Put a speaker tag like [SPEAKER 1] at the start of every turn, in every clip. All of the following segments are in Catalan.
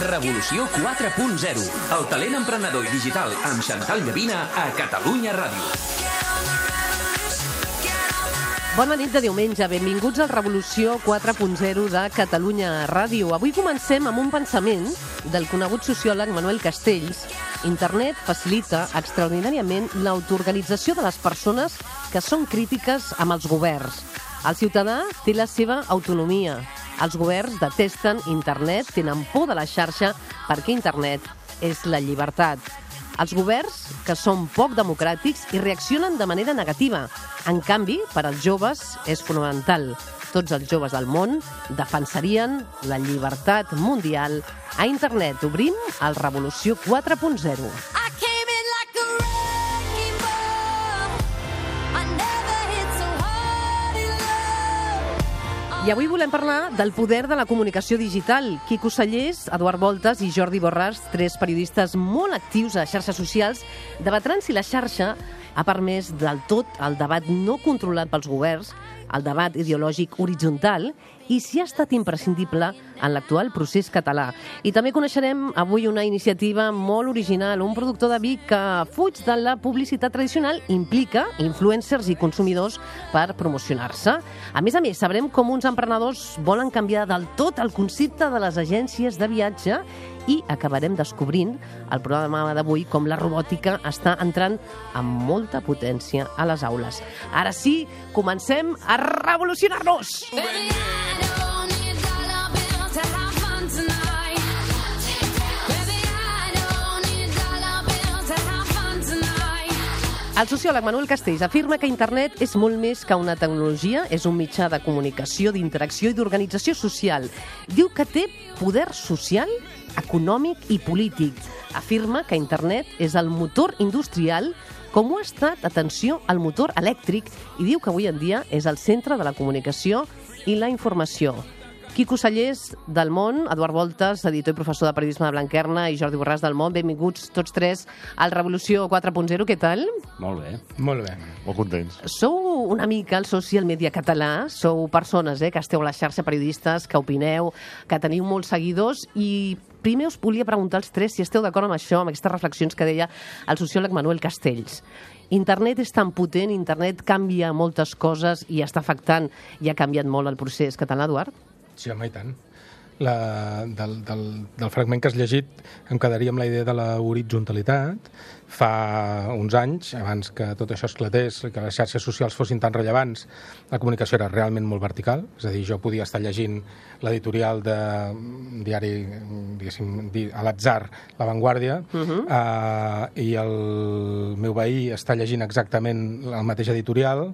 [SPEAKER 1] Revolució 4.0. El talent emprenedor i digital amb Xantal Llavina a Catalunya Ràdio.
[SPEAKER 2] Bona nit de diumenge, benvinguts al Revolució 4.0 de Catalunya Ràdio. Avui comencem amb un pensament del conegut sociòleg Manuel Castells. Internet facilita extraordinàriament l'autoorganització de les persones que són crítiques amb els governs. El ciutadà té la seva autonomia. Els governs detesten Internet, tenen por de la xarxa perquè Internet és la llibertat. Els governs, que són poc democràtics i reaccionen de manera negativa. En canvi, per als joves és fonamental. Tots els joves del món defensarien la llibertat mundial a Internet. Obrim el Revolució 4.0. I avui volem parlar del poder de la comunicació digital. Quico Sallés, Eduard Voltas i Jordi Borràs, tres periodistes molt actius a xarxes socials, debatran si la xarxa ha permès del tot el debat no controlat pels governs, el debat ideològic horitzontal, i si ha estat imprescindible en l'actual procés català. I també coneixerem avui una iniciativa molt original, un productor de vi que fuig de la publicitat tradicional, implica influencers i consumidors per promocionar-se. A més, sabrem com uns emprenedors volen canviar del tot el concepte de les agències de viatge i acabarem descobrint al programa d'avui com la robòtica està entrant amb molta potència a les aules. Ara sí, comencem a revolucionar-nos! El sociòleg Manuel Castells afirma que Internet és molt més que una tecnologia, és un mitjà de comunicació, d'interacció i d'organització social. Diu que té poder social, econòmic i polític. Afirma que Internet és el motor industrial com ho ha estat, atenció, el motor elèctric, i diu que avui en dia és el centre de la comunicació i la informació. Quico Sallés, del Món, Eduard Voltas, editor i professor de periodisme de Blanquerna, i Jordi Borràs, del Món. Benvinguts tots tres al Revolució 4.0. Què tal?
[SPEAKER 3] Molt bé.
[SPEAKER 4] Molt bé.
[SPEAKER 3] Molt contents.
[SPEAKER 2] Sou una mica el social media català, sou persones que esteu a la xarxa, periodistes, que opineu, que teniu molts seguidors, i primer us volia preguntar als tres si esteu d'acord amb això, amb aquestes reflexions que deia el sociòleg Manuel Castells. Internet és tan potent, Internet canvia moltes coses i està afectant i ha canviat molt el procés català, Eduard?
[SPEAKER 4] Sí, home, i tant. Del fragment que has llegit em quedaria amb la idea de la horitzontalitat. Fa uns anys, abans que tot això esclatés, que les xarxes socials fossin tan rellevants, la comunicació era realment molt vertical. És a dir, jo podia estar llegint l'editorial de diari, diguéssim, a l'atzar, La Vanguardia, i el meu veí està llegint exactament el mateix editorial,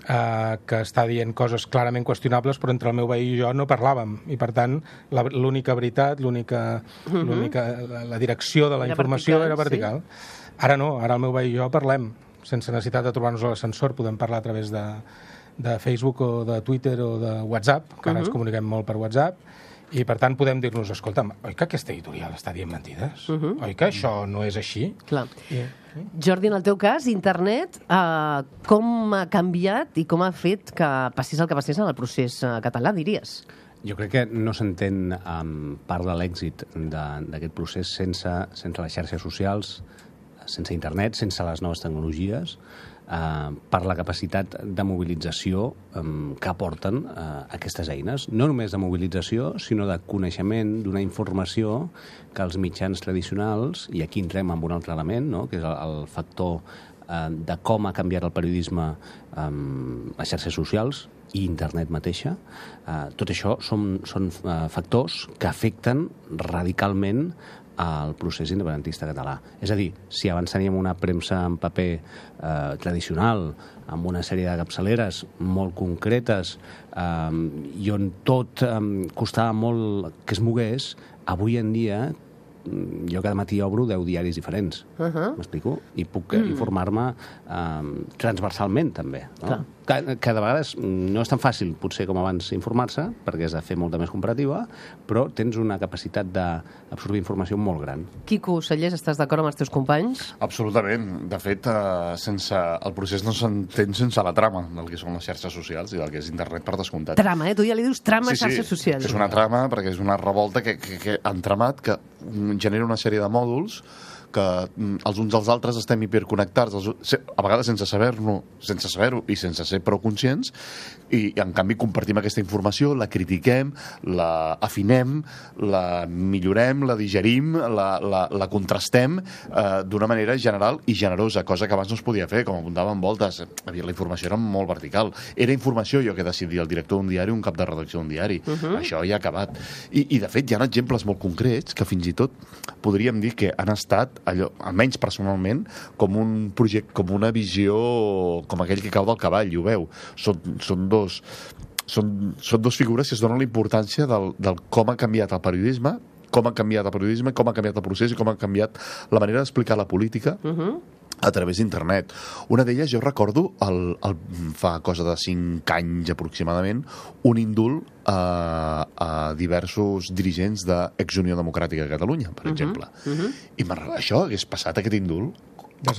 [SPEAKER 4] que està dient coses clarament qüestionables, però entre el meu veí i jo no parlàvem, i per tant l'única veritat, la direcció de la informació era vertical. Sí. Ara no, ara el meu veí i jo parlem sense necessitat de trobar-nos a l'ascensor, podem parlar a través de Facebook o de Twitter o de WhatsApp, que ara ens comuniquem molt per WhatsApp, i per tant podem dir-nos, escolta'm, oi que aquesta editorial està dient mentides? Oi que això no és així?
[SPEAKER 2] Clar. Jordi, en el teu cas, Internet, com ha canviat i com ha fet que passés el que passés en el procés català, diries?
[SPEAKER 3] Jo crec que no s'entén part de l'èxit d'aquest procés sense les xarxes socials, sense Internet, sense les noves tecnologies, per la capacitat de mobilització que aporten aquestes eines. No només de mobilització, sinó de coneixement, d'una informació que els mitjans tradicionals, i aquí entrem en un altre element, no?, que és el factor de com ha canviat el periodisme les xarxes socials i Internet mateixa. Tot això són factors que afecten radicalment al procés independentista català. És a dir, si abans teníem una premsa en paper tradicional, amb una sèrie de capçaleres molt concretes i on tot costava molt que es mogués, avui en dia jo cada matí obro 10 diaris diferents, m'explico? I puc informar-me transversalment, també. No? Que de vegades no és tan fàcil, potser com abans, informar-se, perquè has de fer molta més comparativa, però tens una capacitat d'absorbir informació molt gran.
[SPEAKER 2] Quico Sallés, estàs d'acord amb els teus companys?
[SPEAKER 5] Absolutament. De fet, el procés no s'entén sense la trama del que són les xarxes socials i del que és internet per descomptat.
[SPEAKER 2] Trama, tu ja li dius trama a xarxes socials.
[SPEAKER 5] És una trama perquè és una revolta que entramat, que genera una sèrie de mòduls que els uns als altres estem hiperconnectats, a vegades sense saber-ho i sense ser prou conscients, i en canvi compartim aquesta informació, la critiquem, la afinem, la millorem, la digerim, la contrastem d'una manera general i generosa, cosa que abans no es podia fer, com apuntava en Voltes. La informació era molt vertical. Era informació jo que decidia el director d'un diari, un cap de redacció d'un diari. Això ja ha acabat. I de fet, hi ha exemples molt concrets que fins i tot podríem dir que han estat allò, almenys personalment, com un projecte, com una visió, com aquell que cau del cavall, i ho veu. Són dos figures que es donen la importància del com ha canviat el periodisme, com ha canviat el procés i com ha canviat la manera d'explicar la política a través d'internet. Una d'elles, jo recordo, fa cosa de 5 anys aproximadament, un indult a diversos dirigents d'Ex-Unió Democràtica de Catalunya, per exemple. I això hagués passat, aquest indult,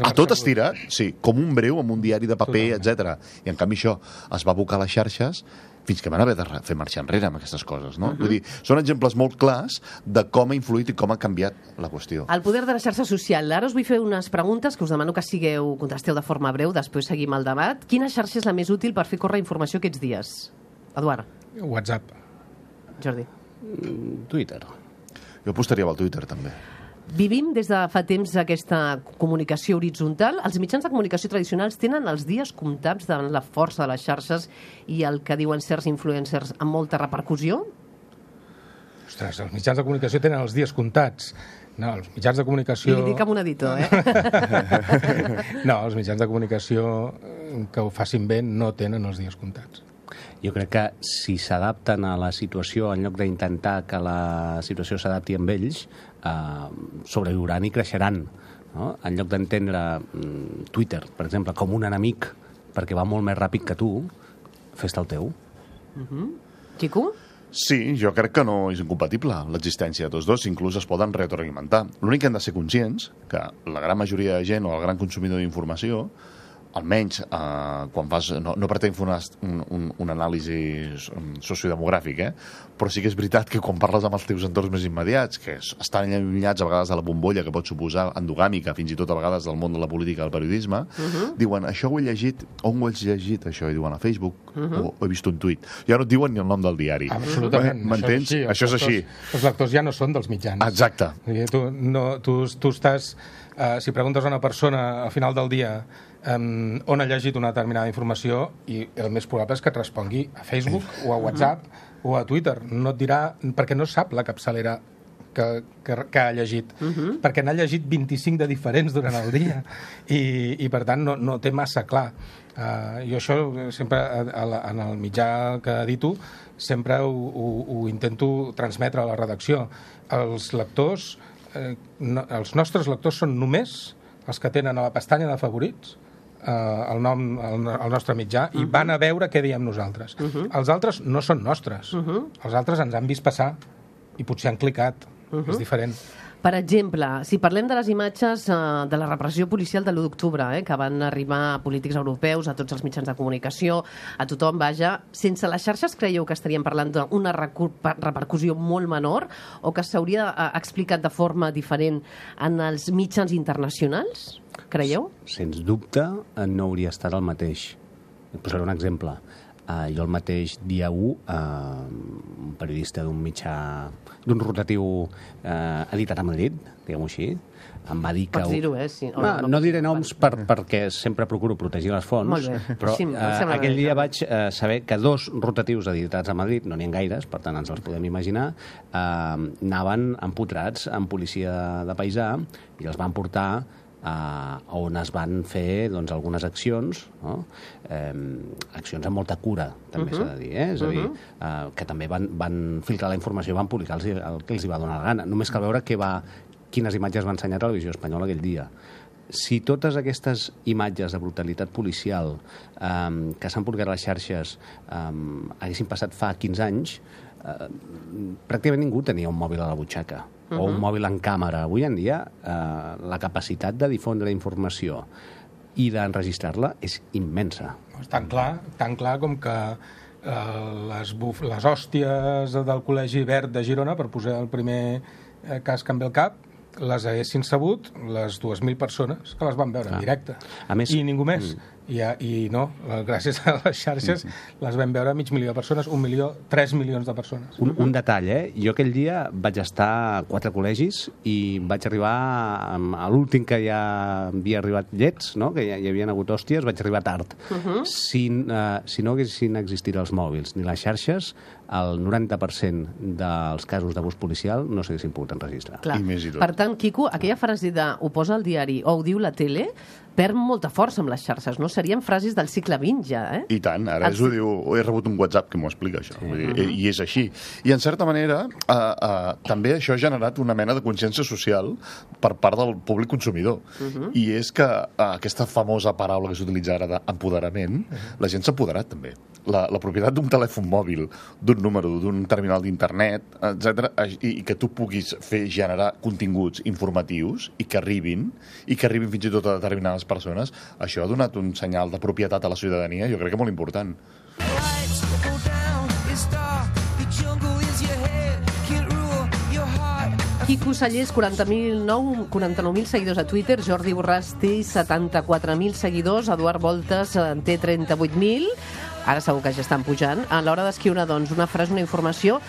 [SPEAKER 5] a tot estirat, sí, com un breu amb un diari de paper, etc. I en canvi això es va abocar a les xarxes fins que van haver de fer marxa enrere amb aquestes coses, no? Vull dir, són exemples molt clars de com ha influït i com ha canviat la qüestió.
[SPEAKER 2] El poder de la xarxa social. Ara us vull fer unes preguntes que us demano que contesteu de forma breu, després seguim el debat. Quina xarxa és la més útil per fer córrer informació aquests dies? Eduard.
[SPEAKER 4] WhatsApp.
[SPEAKER 2] Jordi.
[SPEAKER 3] Twitter.
[SPEAKER 5] Jo apostaria pel Twitter, també.
[SPEAKER 2] Vivim des de fa temps aquesta comunicació horitzontal. Els mitjans de comunicació tradicionals tenen els dies comptats davant la força de les xarxes i el que diuen certs influencers amb molta repercussió?
[SPEAKER 4] Ostres, els mitjans de comunicació tenen els dies comptats. No, els mitjans de comunicació...
[SPEAKER 2] I li dic amb un editor,
[SPEAKER 4] No, els mitjans de comunicació que ho facin bé no tenen els dies comptats.
[SPEAKER 3] Jo crec que si s'adapten a la situació, en lloc d'intentar que la situació s'adapti amb ells, sobreviuran i creixeran. No? En lloc d'entendre Twitter, per exemple, com un enemic perquè va molt més ràpid que tu, fes-te el teu.
[SPEAKER 2] Quico?
[SPEAKER 5] Sí, jo crec que no és incompatible l'existència de tots dos, inclús es poden retroalimentar. L'únic que hem de ser conscients que la gran majoria de gent o el gran consumidor d'informació, almenys quan fas... No pretenc fer un anàlisi sociodemogràfic, però sí que és veritat que quan parles amb els teus entorns més immediats, que estan allunyats a vegades de la bombolla que pot suposar endogàmica, fins i tot a vegades del món de la política i el periodisme, diuen, això ho he llegit, on ho has llegit, això? I diuen a Facebook, o he vist un tuit. Ja no et diuen ni el nom del diari.
[SPEAKER 4] Absolutament.
[SPEAKER 5] M'entens? Això és així.
[SPEAKER 4] Els lectors ja no són dels mitjans.
[SPEAKER 5] Exacte.
[SPEAKER 4] Tu estàs... Si preguntes a una persona al final del dia on ha llegit una determinada informació, i el més probable és que et respongui a Facebook o a WhatsApp o a Twitter. No et dirà, perquè no sap la capçalera que ha llegit, perquè n'ha llegit 25 de diferents durant el dia i per tant no té massa clar. Jo això sempre en el mitjà que edito sempre ho intento transmetre a la redacció. Els lectors, els nostres lectors són només els que tenen a la pestanya de favorits el nostre mitjà i van a veure què diem nosaltres. Els altres no són nostres. Els altres ens han vist passar i potser han clicat. És diferent.
[SPEAKER 2] Per exemple, si parlem de les imatges de la repressió policial de l'1 d'octubre, que van arribar a polítics europeus, a tots els mitjans de comunicació, a tothom, vaja, sense les xarxes creieu que estaríem parlant d'una repercussió molt menor o que s'hauria explicat de forma diferent en els mitjans internacionals? Creieu?
[SPEAKER 3] Sens dubte no hauria estat el mateix. Et posaré un exemple. Jo el mateix dia 1, un periodista d'un mitjà, d'un rotatiu editat a Madrid, diguem-ho així, em va dir que...
[SPEAKER 2] Pots dir-ho, sí.
[SPEAKER 3] No diré noms perquè sempre procuro protegir les fonts.
[SPEAKER 2] Molt bé.
[SPEAKER 3] Però aquell dia vaig saber que 2 rotatius editats a Madrid, no n'hi ha gaires, per tant ens els podem imaginar, anaven empotrats amb policia de paisà i els van portar on es van fer algunes accions, no? Accions amb molta cura, també s'ha de dir, és a dir, que també van filtrar la informació, van publicar el que els hi va donar la gana. Només cal veure què va quines imatges va ensenyar Televisió Espanyola aquell dia. Si totes aquestes imatges de brutalitat policial que s'han publicat a les xarxes haguessin passat fa 15 anys, pràcticament ningú tenia un mòbil a la butxaca o un mòbil en càmera. Avui en dia la capacitat de difondre informació i d'enregistrar-la és immensa.
[SPEAKER 4] És tan clar com que les hòsties del Col·legi Verd de Girona, per posar el primer cas que em ve al cap, les haguessin sabut les 2.000 persones que les van veure en directe.
[SPEAKER 3] A més,
[SPEAKER 4] I ningú més. I no, gràcies a les xarxes les vam veure 500.000 persones, 1 milió, 3 milions de persones.
[SPEAKER 3] Un detall, Jo aquell dia vaig estar a 4 col·legis i vaig arribar a l'últim que ja havia arribat llets, no? Que ja hi havien hagut hòsties, vaig arribar tard. Si no haguessin existit els mòbils ni les xarxes, el 90% dels casos d'abús policial no s'haguessin pogut enregistrar.
[SPEAKER 2] Clar.
[SPEAKER 5] I més i tot.
[SPEAKER 2] Per tant, Quico, aquella frase de ho posa al diari o ho diu la tele perd molta força amb les xarxes, no? Serien frases del segle XX ja,
[SPEAKER 5] I tant, ara ho diu, he rebut un WhatsApp que m'ho explica, això. Vull dir, i és així. I, en certa manera, també això ha generat una mena de consciència social per part del públic consumidor. I és que aquesta famosa paraula que s'utilitza ara d'empoderament, la gent s'ha empoderat, també. La propietat d'un telèfon mòbil, d'un número, d'un terminal d'internet, etc, i que tu puguis generar continguts informatius i que arribin fins i tot a determinades persones, això ha donat un senyal de propietat a la ciutadania, jo crec que molt important.
[SPEAKER 2] Quico Sallés, 49.000 seguidors a Twitter, Jordi Borràs té 74.000 seguidors, Eduard Voltes en té 38.000, ara segur que ja estan pujant. A l'hora d'escriure, doncs, una frase, una informació,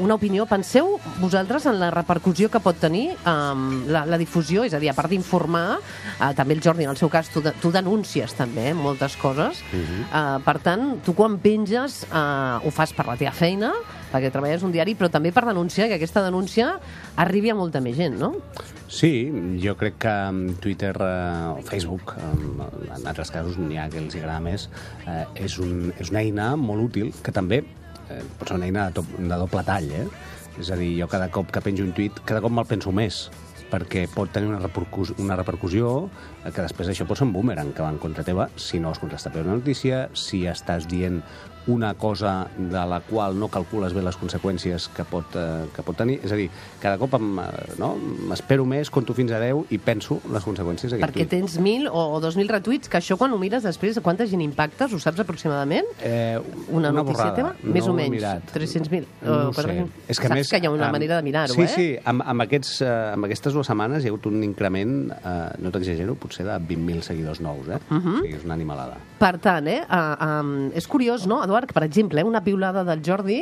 [SPEAKER 2] una opinió, penseu vosaltres en la repercussió que pot tenir la difusió, és a dir, a part d'informar, també el Jordi, en el seu cas, tu denúncies també moltes coses. Per tant, tu quan penges ho fas per la teva feina, perquè treballes un diari, però també per denunciar, que aquesta denúncia arribi a molta més gent, no?
[SPEAKER 3] Sí, jo crec que Twitter o Facebook, en altres casos n'hi ha que els agrada més, és una eina molt útil, que també pot ser una eina de doble tall, És a dir, jo cada cop que penjo un tuit, cada cop me'l penso més, perquè pot tenir una repercussió que després això pot ser un boomerang que va en contra teva si no has contestat bé una notícia, si estàs dient una cosa de la qual no calcules bé les conseqüències que pot tenir. És a dir, cada cop m'espero més, conto fins a 10 i penso les conseqüències d'aquest
[SPEAKER 2] tuit. Perquè tens 1.000 o 2.000 retuits, que això quan ho mires després, quanta gent impactes? Ho saps aproximadament? Una notícia teva? Més o menys? 300.000?
[SPEAKER 3] No sé.
[SPEAKER 2] Saps que hi ha una manera de mirar-ho,
[SPEAKER 3] Sí, amb aquestes 2 setmanes hi ha hagut un increment, no t'exagero, potser de 20.000 seguidors nous, O sigui, és una animalada.
[SPEAKER 2] Per tant, és curiós, no, Eduard, que, per exemple, una piulada del Jordi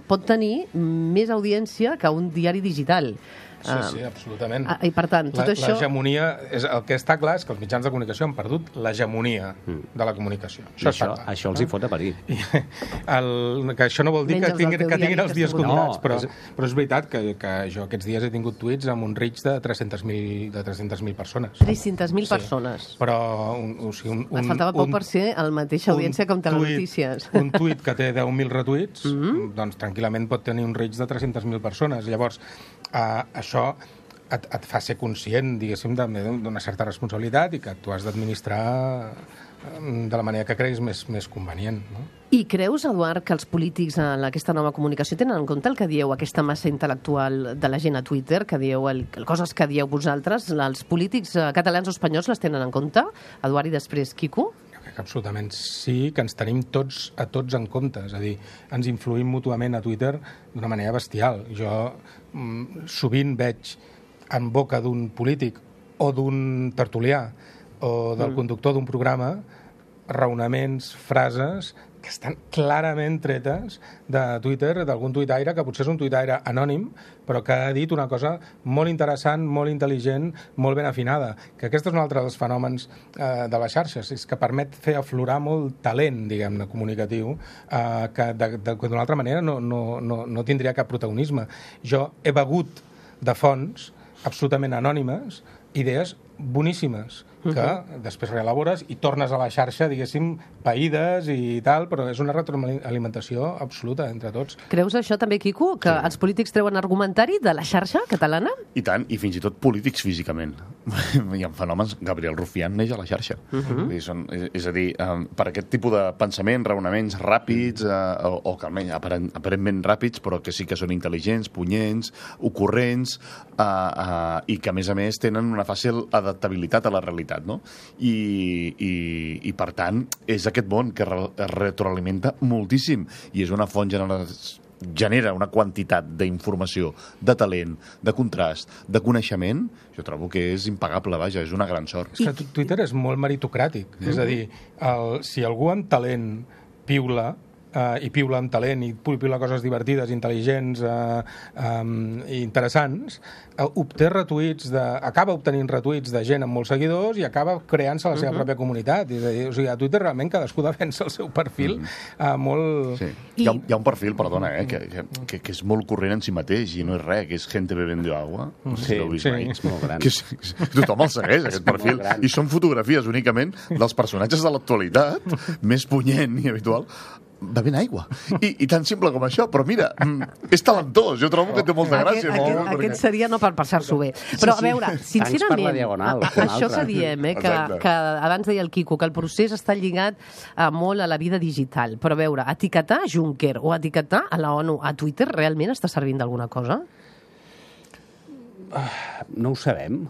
[SPEAKER 2] pot tenir més audiència que un diari digital.
[SPEAKER 4] Sí, absolutament.
[SPEAKER 2] I, per tant, tot això...
[SPEAKER 4] L'hegemonia... El que està clar és que els mitjans de comunicació han perdut l'hegemonia de la comunicació.
[SPEAKER 3] Això els hi fot a parir.
[SPEAKER 4] Que això no vol dir que tinguin els dies comptats, però és veritat que jo aquests dies he tingut tuits amb un reach de 300.000 persones.
[SPEAKER 2] 300.000 persones.
[SPEAKER 4] Però...
[SPEAKER 2] Et faltava poc per ser la mateixa audiència com Telenotícies.
[SPEAKER 4] Un tuit que té 10.000 retuits, doncs tranquil·lament pot tenir un reach de 300.000 persones. Llavors, això et fa ser conscient, diguéssim, d'una certa responsabilitat i que tu has d'administrar de la manera que creguis més convenient, no?
[SPEAKER 2] I creus, Eduard, que els polítics en aquesta nova comunicació tenen en compte el que dieu, aquesta massa intel·lectual de la gent a Twitter, que dieu coses que dieu vosaltres, els polítics catalans o espanyols les tenen en compte? Eduard, i després Quico?
[SPEAKER 4] Absolutament sí, que ens tenim tots en compte, és a dir, ens influïm mútuament a Twitter d'una manera bestial. Jo sovint veig en boca d'un polític o d'un tertulià o del conductor d'un programa raonaments, frases que estan clarament tretes de Twitter, d'algun tuitaire, que potser és un tuitaire anònim, però que ha dit una cosa molt interessant, molt intel·ligent, molt ben afinada. Que aquest és un altre dels fenòmens de les xarxes, és que permet fer aflorar molt talent, diguem-ne, comunicatiu, que d'una altra manera no tindria cap protagonisme. Jo he begut de fonts absolutament anònimes idees boníssimes que després reelabores i tornes a la xarxa, diguéssim, païdes i tal, però és una retroalimentació absoluta entre tots.
[SPEAKER 2] Creus això també, Quico, que els polítics treuen argumentari de la xarxa catalana?
[SPEAKER 5] I tant, i fins i tot polítics físicament. Hi ha fenòmens... Gabriel Rufián neix a la xarxa. És a dir, per aquest tipus de pensament, raonaments ràpids, o que almenys aparentment ràpids, però que sí que són intel·ligents, punyents, ocorrents, i que, a més, tenen una fàcil adaptabilitat a la realitat, no? I per tant, és aquest món que es retroalimenta moltíssim i és una font genera una quantitat d'informació, de talent, de contrast, de coneixement, jo trobo que és impagable, vaja, és una gran sort.
[SPEAKER 4] És que Twitter és molt meritocràtic, és a dir, si algú amb talent piula, i piula amb talent i piula coses divertides, intel·ligents i interessants, acaba obtenint retuits de gent amb molts seguidors i acaba creant-se la seva pròpia comunitat. És a dir, o sigui, a Twitter realment cadascú defensa el seu perfil molt...
[SPEAKER 5] Sí. Hi ha un perfil, perdona, que és molt corrent en si mateix i no és res, que és gente bebiendo agua.
[SPEAKER 3] Sí, és molt gran.
[SPEAKER 5] Tothom el segueix, aquest perfil. I són fotografies únicament dels personatges de l'actualitat, més punyent i habitual, bevent aigua. I tan simple com això. Però mira, és talentós. Jo trobo que té molta gràcia.
[SPEAKER 2] Aquest seria no per passar-s'ho bé. Però, a veure, sincerament, això que diem, que abans deia el Quico, que el procés està lligat molt a la vida digital. Però, a veure, etiquetar a Juncker o etiquetar a la ONU a Twitter realment està servint d'alguna cosa?
[SPEAKER 3] No ho sabem,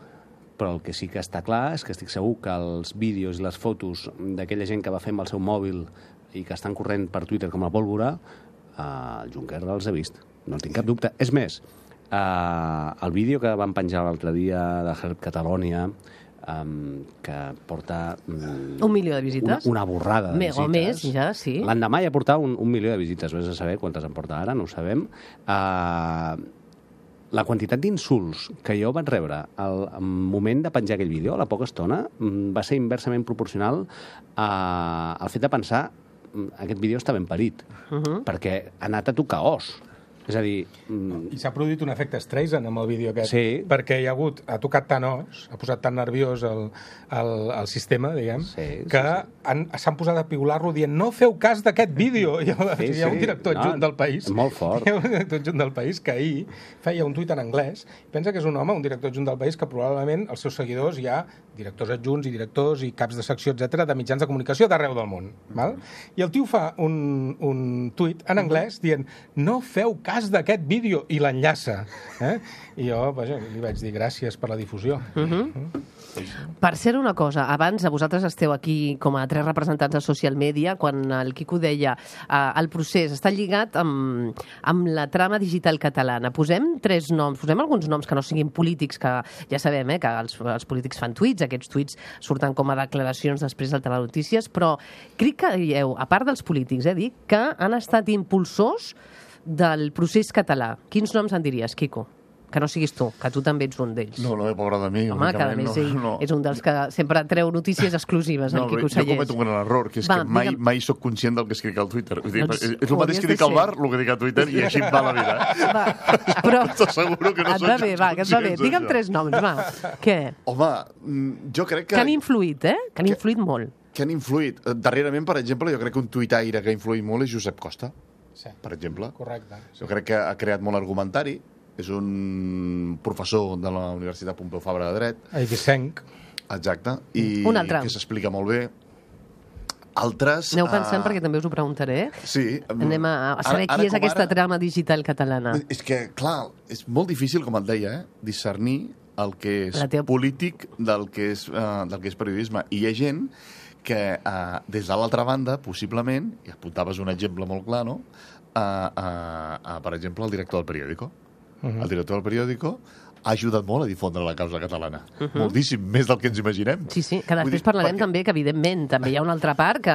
[SPEAKER 3] però el que sí que està clar és que estic segur que els vídeos i les fotos d'aquella gent que va fer amb el seu mòbil i que estan corrent per Twitter com a pólvora, el Juncker els ha vist. No en tinc cap dubte. És més, el vídeo que van penjar l'altre dia de Help Catalonia, que porta...
[SPEAKER 2] 1 milió de visites?
[SPEAKER 3] Una borrada de visites.
[SPEAKER 2] O més, ja, sí.
[SPEAKER 3] L'endemà ja portava 1 milió de visites. Vés a saber quantes en porta ara, no ho sabem. La quantitat d'insults que jo vaig rebre al moment de penjar aquell vídeo, a la poca estona, va ser inversament proporcional al fet de pensar aquest vídeo està ben parit, perquè ha anat a tocar os. És a dir...
[SPEAKER 4] I s'ha produït un efecte Streisand amb el vídeo aquest,
[SPEAKER 3] sí.
[SPEAKER 4] Perquè ha tocat tant os, ha posat tan nerviós el sistema, diguem, que s'han posat a piular-lo dient no feu cas d'aquest vídeo. Hi ha un director adjunt del país.
[SPEAKER 3] Molt fort.
[SPEAKER 4] Hi ha un director adjunt del país que ahir feia un tuit en anglès. Pensa que és un home, un director adjunt del país, que probablement els seus seguidors hi ha directors adjunts i directors i caps de secció, etc de mitjans de comunicació d'arreu del món. Val? I el tio fa un tuit en anglès dient no feu cas d'aquest vídeo i l'enllaça. I jo, vaja, li vaig dir gràcies per la difusió.
[SPEAKER 2] Per ser una cosa, abans vosaltres esteu aquí com a 3 representants de social media, quan el Quico deia el procés està lligat amb la trama digital catalana. Posem 3 noms, posem alguns noms que no siguin polítics, que ja sabem que els polítics fan tuits, aquests tuits surten com a declaracions després del Telenotícies, però crec que a part dels polítics, dic que han estat impulsors del procés català. Quins noms en diries, Quico? Que no siguis tu, que tu també ets un d'ells.
[SPEAKER 5] No, pobra de mi.
[SPEAKER 2] Home, que a més ell és un dels que sempre treu notícies exclusives, el Quico Sallés.
[SPEAKER 5] Jo cometo un gran error, que és que mai soc conscient del que escric al Twitter. És el mateix que dic al bar, el que dic a Twitter, i així em va la vida.
[SPEAKER 2] Però
[SPEAKER 5] t'asseguro que no soc
[SPEAKER 2] conscient. Digue'm 3 noms, va. Què?
[SPEAKER 5] Home, jo crec que...
[SPEAKER 2] Que han influït, Que han influït molt.
[SPEAKER 5] Que han influït. Darrerament, per exemple, jo crec que un tuitaire que ha influït molt és Josep Costa, per exemple.
[SPEAKER 4] Correcte.
[SPEAKER 5] Jo crec que ha creat molt argumentari. És un professor de la Universitat Pompeu Fabra de Dret.
[SPEAKER 4] Eivissenc.
[SPEAKER 5] Exacte. I
[SPEAKER 2] un altre.
[SPEAKER 5] Que s'explica molt bé. Altres...
[SPEAKER 2] Aneu pensant perquè també us ho preguntaré.
[SPEAKER 5] Sí.
[SPEAKER 2] Anem a saber qui és aquesta trama digital catalana.
[SPEAKER 5] És que, clar, és molt difícil, com et deia, discernir el que és polític del que és periodisme. I hi ha gent que, des de l'altra banda, possiblement, i apuntaves un exemple molt clar, no? Per exemple, el director del periòdico. El director del periòdico ha ajudat molt a difondre la causa catalana. Moltíssim, més del que ens imaginem.
[SPEAKER 2] Sí, que després parlarem també que, evidentment, també hi ha una altra part que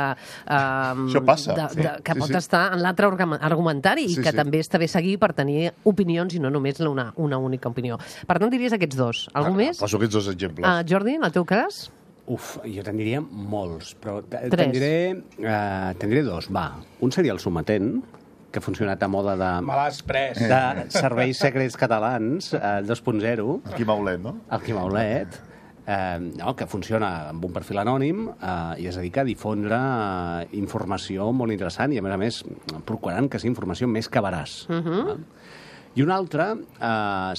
[SPEAKER 5] això passa.
[SPEAKER 2] Que pot estar en l'altre argumentari i que també està bé seguir per tenir opinions i no només una única opinió. Per tant, diries aquests 2. Algú més?
[SPEAKER 5] Poso aquests 2 exemples.
[SPEAKER 2] Jordi, en el teu cas?
[SPEAKER 3] Jo te'n diria molts, però te'n diré 2. Va, un seria el Sometent, que ha funcionat a moda de serveis secrets catalans, 2.0.
[SPEAKER 5] El Quim Aulet, no?
[SPEAKER 3] El Quim Aulet. que funciona amb un perfil anònim i es dedica a difondre informació molt interessant i, a més, procurant que sigui informació més que veraç. I un altre,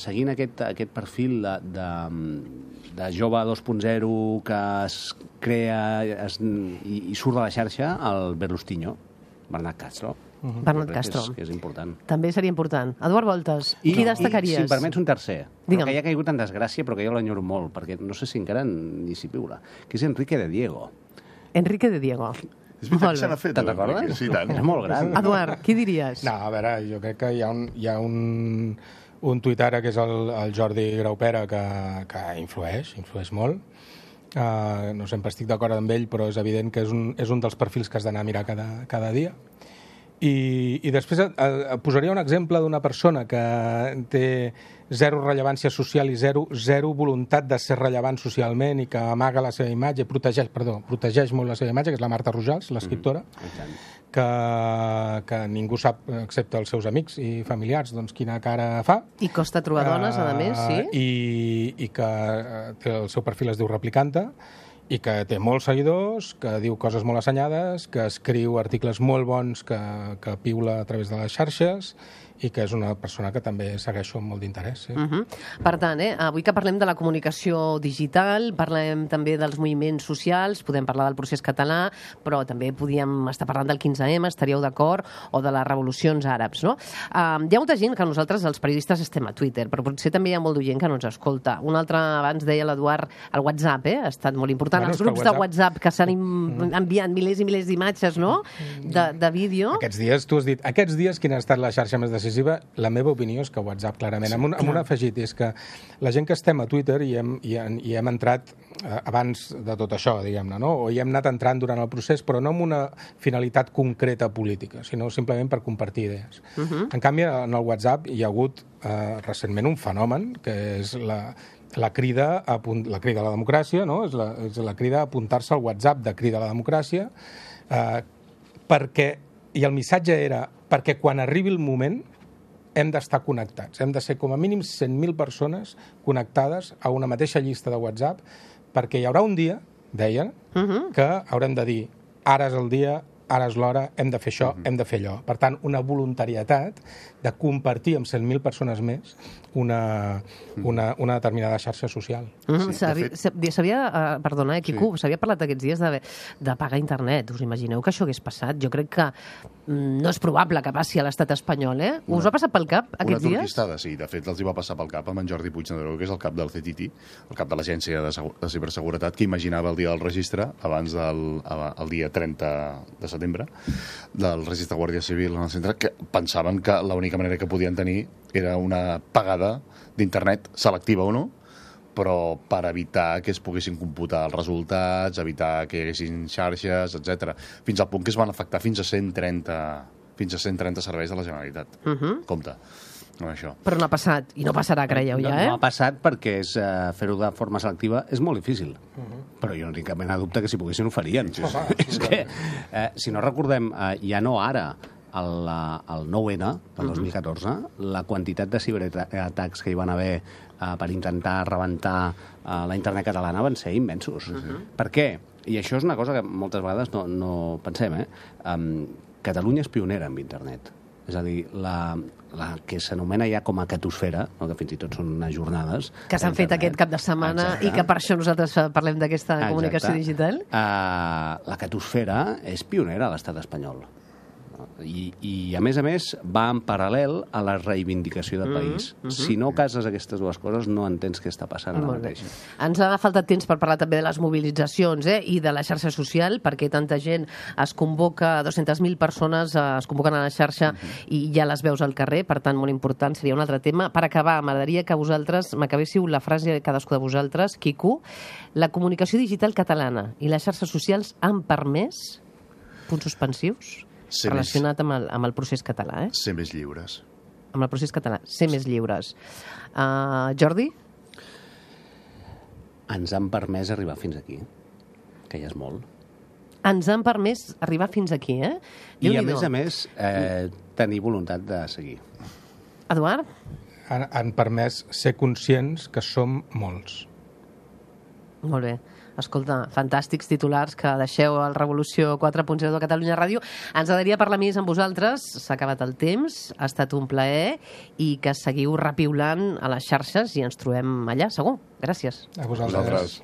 [SPEAKER 3] seguint aquest perfil de jove 2.0 que es crea i surt de la xarxa, el Berlustinho, Bernat Castro.
[SPEAKER 2] Bernat Castro.
[SPEAKER 3] Que és important.
[SPEAKER 2] També seria important. Eduard Voltes, qui destacaries?
[SPEAKER 3] I, si em permets, un tercer,
[SPEAKER 2] Digue'm.
[SPEAKER 3] que ja ha caigut en desgràcia, però que jo l'enyoro molt, perquè no sé si encara ni s'hi viure, que és Enrique de Diego.
[SPEAKER 2] Enrique de Diego.
[SPEAKER 5] És veritat
[SPEAKER 2] Molt
[SPEAKER 5] que se
[SPEAKER 2] bé.
[SPEAKER 5] n'ha fet.
[SPEAKER 3] Te'n recordes?
[SPEAKER 5] Sí, tant.
[SPEAKER 3] És molt gran.
[SPEAKER 2] Eduard, qui diries?
[SPEAKER 4] No, a veure, jo crec que hi ha un tuitara que és el Jordi Graupera que influeix molt. No sempre estic d'acord amb ell, però és evident que és un dels perfils que has d'anar a mirar cada dia. I després posaria un exemple d'una persona que té zero rellevància social i zero voluntat de ser rellevant socialment i que amaga la seva imatge, protegeix molt la seva imatge, que és la Marta Rojals, l'escriptora, que ningú sap, excepte els seus amics i familiars, doncs quina cara fa.
[SPEAKER 2] I costa trobar dones, a més, sí?
[SPEAKER 4] I que el seu perfil es diu Replicanta, i que té molts seguidors, que diu coses molt assenyades, que escriu articles molt bons que piula a través de les xarxes i que és una persona que també segueixo amb molt d'interès. Sí.
[SPEAKER 2] Per tant, avui que parlem de la comunicació digital, parlem també dels moviments socials, podem parlar del procés català, però també podíem estar parlant del 15M, estaríeu d'acord, o de les revolucions àrabs, no? Hi ha molta gent que nosaltres, els periodistes, estem a Twitter, però potser també hi ha molt de gent que no ens escolta. Un altre, abans deia l'Eduard, el WhatsApp, ha estat molt important. Els grups de WhatsApp que s'han enviat milers i milers d'imatges, no?, de vídeo.
[SPEAKER 4] Aquests dies, tu has dit, aquests dies quina ha estat la xarxa més decisiva? La meva opinió és que WhatsApp, clarament. Amb un afegit, és que la gent que estem a Twitter i hem entrat abans de tot això, diguem-ne, no? O hi hem anat entrant durant el procés, però no amb una finalitat concreta política, sinó simplement per compartir idees. En canvi, en el WhatsApp hi ha hagut recentment un fenomen, que és la crida a la democràcia, no? És la crida a apuntar-se al WhatsApp de crida a la democràcia, i el missatge era perquè quan arribi el moment hem d'estar connectats. Hem de ser com a mínim 100.000 persones connectades a una mateixa llista de WhatsApp, perquè hi haurà un dia, deien, que haurem de dir ara és el dia, ara és l'hora, hem de fer això, hem de fer allò. Per tant, una voluntarietat de compartir amb 100.000 persones més una determinada xarxa social.
[SPEAKER 2] Perdona, Quico, s'havia parlat aquests dies de pagar internet. Us imagineu que això hagués passat? Jo crec que no és probable que passi a l'estat espanyol, eh? Us ha passat pel cap aquests dies?
[SPEAKER 5] Una turquistada, sí. De fet, els hi va passar pel cap amb en Jordi Puigneró, que és el cap del CTT, el cap de l'Agència de Ciberseguretat, que imaginava el dia del registre, abans del dia 30 de setembre, del registre de Guàrdia Civil en el centre, que pensaven que l'única manera que podien tenir era una pagada d'internet, selectiva o no, però per evitar que es poguessin computar els resultats, evitar que hi haguessin xarxes, etc. Fins al punt que es van afectar fins a 130 serveis de la Generalitat. Compte. No, això.
[SPEAKER 2] Però no ha passat, i no passarà, creieu, ja, eh?
[SPEAKER 3] No ha passat perquè fer-ho de forma selectiva és molt difícil. Però jo no tinc cap mena de dubte que si poguessin ho farien. És que, si no recordem, ja no ara, el 9-N del 2014, la quantitat de ciberatacs que hi van haver per intentar rebentar la internet catalana van ser immensos. Per què? I això és una cosa que moltes vegades no pensem, Catalunya és pionera en internet. És a dir, la que s'anomena ja com a catosfera, no? Que fins i tot són unes jornades...
[SPEAKER 2] Que s'han fet aquest cap de setmana. Exacte. I que per això nosaltres parlem d'aquesta comunicació digital.
[SPEAKER 3] La catosfera és pionera a l'estat espanyol. I a més, va en paral·lel a la reivindicació del país. Si no cases aquestes dues coses, no entens què està passant ara mateix.
[SPEAKER 2] Ens ha faltat temps per parlar també de les mobilitzacions i de la xarxa social, perquè tanta gent es convoca, 200.000 persones es convoquen a la xarxa i ja les veus al carrer, per tant, molt important, seria un altre tema. Per acabar, m'agradaria que vosaltres m'acabéssiu la frase de cadascú de vosaltres, Quico, la comunicació digital catalana i les xarxes socials han permès punts suspensius relacionat amb el procés català,
[SPEAKER 5] Ser més lliures.
[SPEAKER 2] Amb el procés català, ser més lliures. Jordi?
[SPEAKER 3] Ens han permès arribar fins aquí, que ja és molt.
[SPEAKER 2] Ens han permès arribar fins aquí,
[SPEAKER 3] I a més, tenir voluntat de seguir.
[SPEAKER 2] Eduard?
[SPEAKER 4] Han permès ser conscients que som molts.
[SPEAKER 2] Molt bé. Escolta, fantàstics titulars que deixeu al Revolució 4.0 de Catalunya Ràdio. Ens agradaria parlar més amb vosaltres. S'ha acabat el temps, ha estat un plaer i que seguiu repiulant a les xarxes i ens trobem allà, segur. Gràcies.
[SPEAKER 4] A vosaltres.